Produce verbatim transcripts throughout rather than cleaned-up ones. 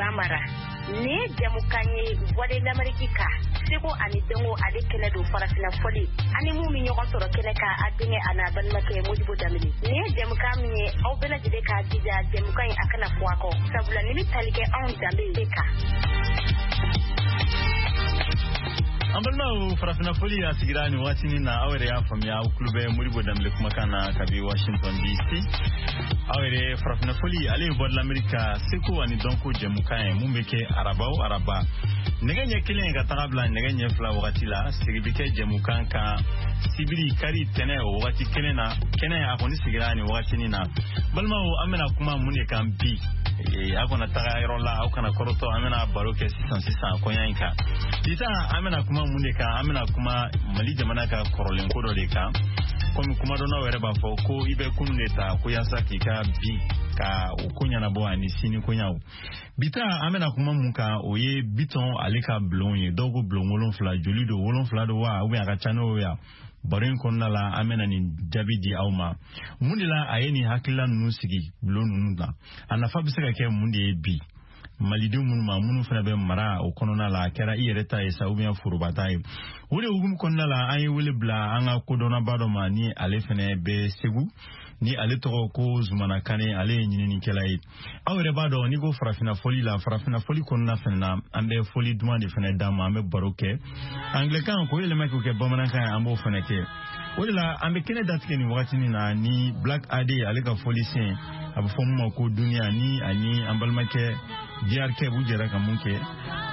Bambara. Nin ye jɛmukan ye Voix de l'Amérique kan, seko ani dɔnko ale kɛnɛ don farafinna fɔli ani mun bɛ ɲɔgɔn sɔrɔ kɛnɛ kan, a denkɛ a n'a balimakɛ Modibo Danbele. Nin ye jɛmukan min ye, aw bɛɛ lajɛlen k'a jija jɛmukan in a kana fɔ a kɔ, sabula nin bɛ tali kɛ anw danbe de kan. An balimaw, farafinna foli a sigira nin waatinin na. Aw yɛrɛ y'a faamuya, aw tulo bɛ Modibo Danbele kumakan na kabi Washington D C. Aw yɛrɛ, farafinna foli ale ye Voix de l'Amérique ka seko ani dɔnko jɛmukan ye mun bɛ kɛ araba o araba nɛgɛ ɲɛ kelen ka taga bila nɛgɛ ɲɛ fila wagati la. Sigi bɛ kɛ jɛmukan kan sibiri, kari, tɛnɛ o wagati kelen na. Kɛnɛ a kɔni sigira nin wagatinin na. Balimaw, an bɛna kuma mun de kan bi? Aw kana taga yɔrɔ la, aw kana kɔrɔtɔ, an bɛna baro kɛ sisan sisan kɔɲa in kan. Bi ta, an bɛna kuma mun de kan? An bɛna kuma Mali jamana ka kɔrɔlenko dɔ de kan. Komi kumadɔnnaw yɛrɛ b'a fɔ ko i bɛ kunun de ta ko yaasa k'i ka bi ka o ko ɲɛnabɔ ani sini koɲaw. Bi ta, an bɛna kuma mun kan, o ye Bitɔn ale ka bulon ye. Dɔw ko bulon wolonfila, joli don, wolonfila don wa, ou bien a ka ca n'o ye? Baro in kɔnɔna la, an bɛna nin jaabi di aw ma. Mun de la a ye nin hakilila ninnu sigi bulon ninnu na? A nafa bɛ se ka kɛ mun de ye bi malidenw minnu ma, minnu fana bɛ mara o kɔnɔna la, a kɛra i yɛrɛ ta ye sa, ou bien foroba ta ye? O de hukumu kɔnɔna la, an ye wele bila an ka kodɔnnaba dɔ ma, ni ale fana bɛ Segu, ni ale tɔgɔ ko Zumana Kane. Ale ye ɲininikɛla ye. Aw yɛrɛ b'a dɔn, n'i ko farafinna fɔli la, farafinna fɔli kɔnɔna fana na, an bɛ fɔli duman de fana d'a ma. An bɛ baro kɛ angilɛkan k'o yɛlɛma k'o kɛ bamanankan ye, an b'o fana kɛ. O de la an bɛ kɛnɛ datigɛ nin wagatinin na ni Black A D ale ka fɔli sen, a bɛ fɔ mun ma ko Duniya, ni ani an balimakɛ D R K b'u jɛra ka mun kɛ.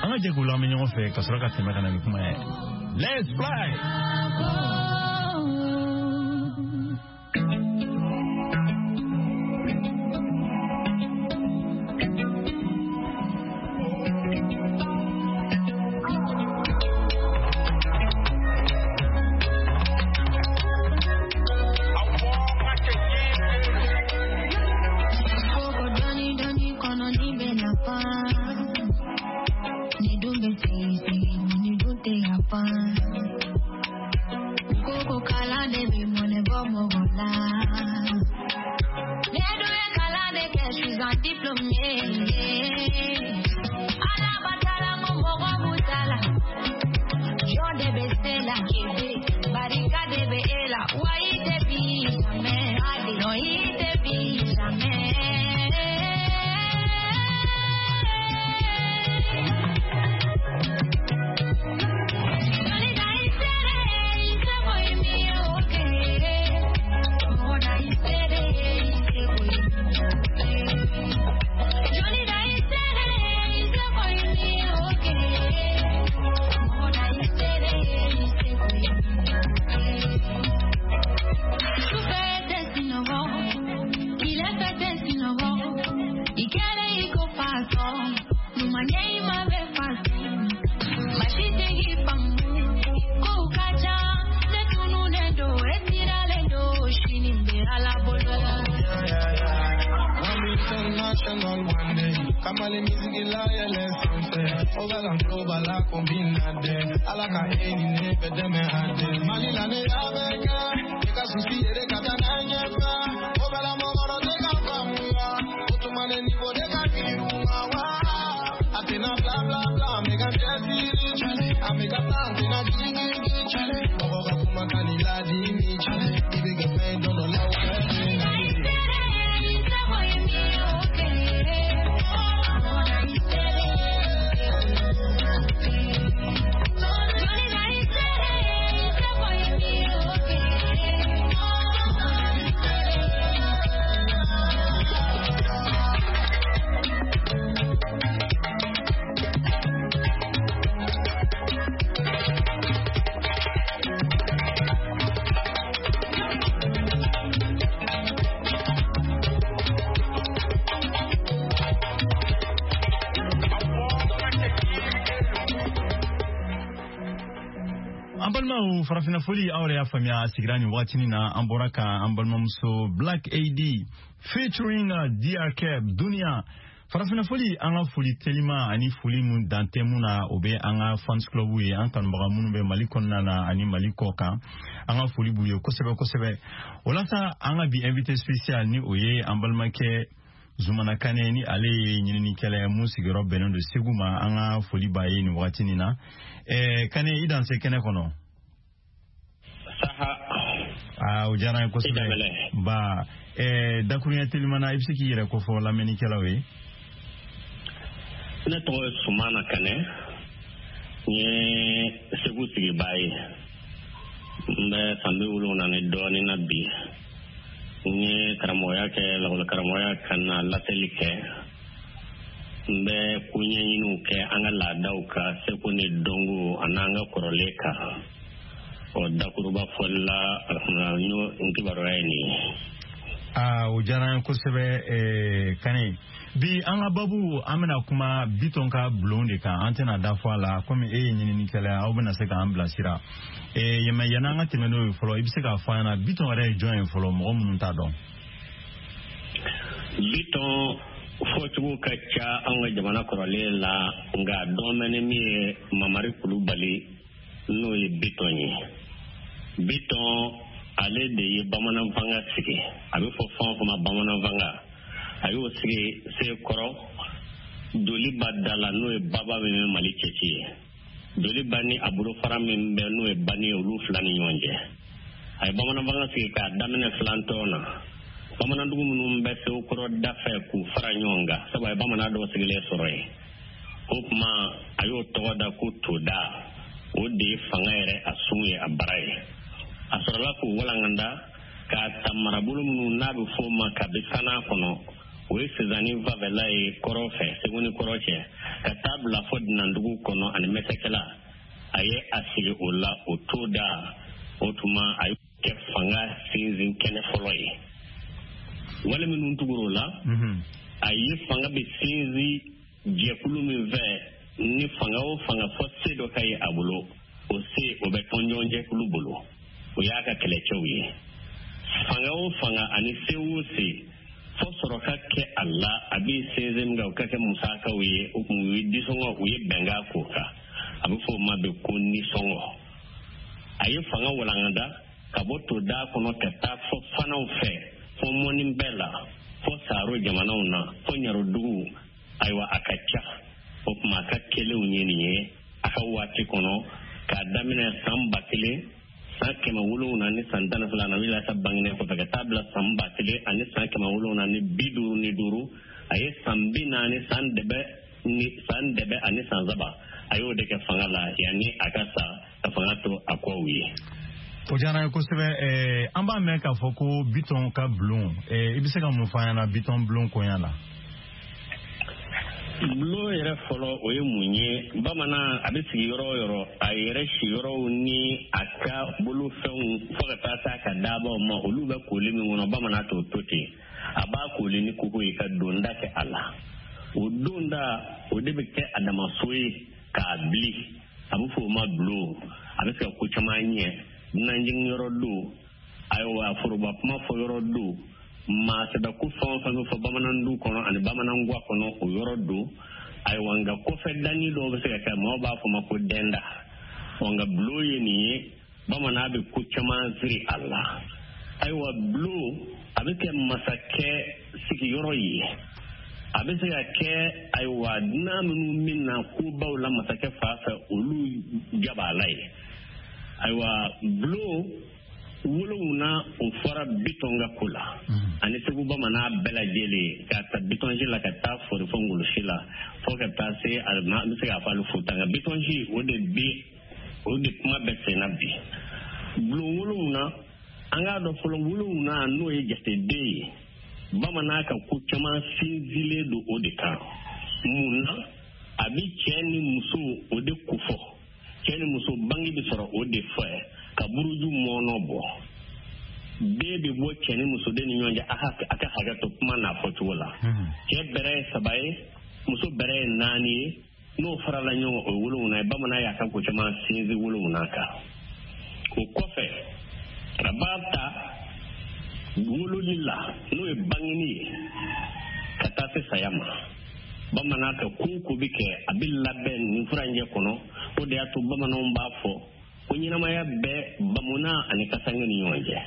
An ka jɛ k'u lamɛn ɲɔgɔn fɛ ka sɔrɔ ka tɛmɛ ka na ni kuma ye. Let's fly! Kamale music la yɛlɛ sanfɛ, o bɛ ka global la combina dɛ. Ala ka e ni ne bɛ dɛmɛ a dɛ. Mali la ne y'a bɛɛ kɛ, i ka souci yɛrɛ ka taa n'a ɲɛfɛ. O bɛ la mɔgɔ tɛ ka faamuya, o tuma ne niveau de ka girin ma wa. A tɛna bla bla bla, an bɛ ka cɛsiri, an bɛ ka taa, an tɛna jigin. Mɔgɔ ka kuma ka n'i ladimi, i bɛ kɛ fɛn dɔ dɔ la o bɛ. An balimaw, farafinna foli, aw yɛrɛ y'a faamuya, a sigira nin wagatinin na. An bɔra ka an balimamuso Black A D featuring D R K, Dunia. Farafinna foli, an ka foli telima ani foli mun dan tɛ mun na, o bɛ an ka fans club ye, an kanubaga minnu bɛ Mali kɔnɔna na ani Mali kɔ kan, an ka foli b'u ye kosɛbɛ kosɛbɛ. O la sa, an ka bi invité spécial, ni o ye an balimakɛ Zumana Kane ni ale ye ɲininikɛla ye mun sigiyɔrɔ bɛnnen don Segu ma, an ka foli b'a ye nin wagati nin na. Eh, Kane, i danse kɛnɛ kɔnɔ. Saha. Aa, o diyara n ye kosɛbɛ. Ba, eh, dakuruɲɛ telimana, i bɛ se k'i yɛrɛ kofɔ lamɛnnikɛlaw ye? Ne tɔgɔ ye Sumana Kane, n ye Segu sigibaa ye. N bɛ san bi wolonwula ni dɔɔnin na bi. N ye karamɔgɔya kɛ, lakɔli karamɔgɔya ka na laseli kɛ. N bɛ koɲɛɲiniw kɛ an ka laadaw kan, seko ni dɔnko an'an ka kɔrɔlen kan. Ɔ, dakuruba fɔli la, alhamdulilah, n y'o n kibaruya ye nin ye. Aa, o diyara n ye kosɛbɛ, Kane. Bi an ka babu, an bɛna kuma Bitɔn ka bulon de kan. An tɛna da fɔ a la, komi e ye ɲininikɛla ye, aw bɛna se k'an bilasira. Yɛmɛ, yanni an ka tɛmɛ n'o ye fɔlɔ, i bɛ se k'a fɔ an ɲɛna Bitɔn yɛrɛ ye jɔn ye fɔlɔ, mɔgɔ minnu t'a dɔn? Bitɔn fɔcogo ka ca an ka jamana kɔrɔlen la, nka dɔn bɛ ni min ye Mamari Kulubali, n'o ye Bitɔn ye. Bitɔn ale de ye bamanan fanga sigi, a bɛ fɔ fɛn o fɛn ma bamanan fanga, a y'o sigi Sekɔrɔ Doliba da la, n'o ye baba min bɛ Mali cɛci ye. Doliba ni a bolofara min bɛ, n'o ye bani ye, olu fila ni ɲɔgɔn cɛ. A ye bamanan fanga sigi k'a daminɛ filantɔn na. Bamanandugu minnu bɛ Sekɔrɔ da fɛ k'u fara ɲɔgɔn kan, sabu a ye bamanan dɔw sigilen sɔrɔ yen. O tuma a y'o tɔgɔ da ko Toda, o de ye fanga yɛrɛ a sun ye, a bara ye. A sɔrɔla k'o walankanda k'a ta marabolo minnu n'a bɛ fɔ o ma kabi san'a kɔnɔ, o ye Sezani fanfɛla ye kɔrɔ fɛ, Segu ni kɔrɔ cɛ, ka taa bila fɔ Dinandugu kɔnɔ ani Mɛsɛkɛla. A ye a sigi o la, o Toda. O tuma a ye kɛ fanga sinsin kɛnɛ fɔlɔ ye. Wale minnu tugura o la, a ye fanga bɛ sinsin jɛkulu min fɛ, ni fanga o fanga fɔ se dɔ ka ye a bolo, o se o bɛ tɔnjɔn jɛkulu bolo, o y'a ka kɛlɛcɛw ye. Fanga o fanga ani se o se fɔ sɔrɔ ka kɛ a la, a bɛ sinsin min kan, o ka kɛ musakaw ye. O kun u ye disɔngɔ, u ye bɛnkan k'o kan, a bɛ fɔ o ma bi ko nisɔngɔ. A ye fanga walankata ka bɔ Toda kɔnɔ ka taa fɔ fanaw fɛ, fɔ mɔni bɛɛ la, fɔ Saro jamanaw na, fɔ Ɲarodugu. Ayiwa, a ka ca. O tuma a ka kɛlenw ye nin ye a ka waati kɔnɔ, k'a daminɛ san ba kelen san kɛmɛ wolonwula ni san tan ni fila na wila ka bangenen kɔfɛ, ka taa bila san ba kelen ani san kɛmɛ wolonwula ni bi duuru ni duuru. A ye san bi naani, san dɛbɛ ni san dɛbɛ ani san saba, a y'o de kɛ fanga la yanni a ka sa, ka fanga to a kɔw ye. O diyara n ye kosɛbɛ. An b'a mɛn k'a fɔ ko Bitɔn ka bulon, i bɛ se ka mun fɔ an ɲɛna Bitɔn bulon koɲɛ la? Bulon yɛrɛ fɔlɔ, o ye mun ye? Bamanan a bɛ sigi yɔrɔ o yɔrɔ, a yɛrɛ siyɔrɔw ni a ka bolofɛnw fo ka taa se a ka dabaw ma, olu bɛ kooli min kɔnɔ, bamanan t'o to ten. A b'a kooli ni koko ye ka donda kɛ a la. O donda, o de bɛ kɛ a damaso ye k'a bili, a bɛ fɔ o ma bulon. A bɛ se ka ko caman ɲɛ, dunanjiginyɔrɔ don, ayiwa, foroba kuma fɔ yɔrɔ don, maa sɛbɛ ko fɛn o fɛn bɛ fɔ bamanan du kɔnɔ ani bamanan guwa kɔnɔ, o yɔrɔ don. Ayiwa, nka kɔfɛ danni dɔw bɛ se ka kɛ, maaw b'a fɔ ma ko dɛnda. Ɔ, nka bulon ye nin ye, bamanan bɛ ko caman siri a la. Ayiwa, bulon a bɛ kɛ masakɛ sigiyɔrɔ ye, a bɛ se ka kɛ, ayiwa, dunan minnu bɛ na kobaw la masakɛ fan fɛ, olu jabala ye. Ayiwa, bulon wolonwula o fɔra Bitɔn ka ko la ani Segu bamanan bɛɛ lajɛlen, k'a ta Bitɔnsi la ka taa Fori fo Ngolosi la, fo ka taa se, an bɛ se k'a fɔ hali Futa. Nka Bitɔnsi, o de bi, o de kuma bɛ sen na bi. Bulon wolonwula, an k'a dɔn fɔlɔ, wolonwula n'o ye jateden ye, bamanan ka ko caman sinsinlen don o de kan. Mun na? A bɛ cɛ ni muso o de kofɔ, cɛ ni muso bange bɛ sɔrɔ o de fɛ, ka buruju mɔnɔ bɔ, den bɛ bɔ cɛ ni muso den ni ɲɔgɔn cɛ. A ka hakɛ to kuma n'a fɔcogo la, cɛ bɛrɛ ye saba ye, muso bɛrɛ ye naani ye, n'o farala ɲɔgɔn kan, o ye wolonwula ye. Bamanan y'a ka ko caman sinsin wolonwula kan. O kɔfɛ, a b'a ta wololi la, n'o ye bangeni ye, ka taa se saya ma. Bamanan ka ko o ko bɛ kɛ, a bɛ labɛn nin furancɛ kɔnɔ. O de y'a to bamananw b'a fɔ ko ɲɛnamaya bɛɛ bamuna ani kasange ni ɲɔgɔn cɛ.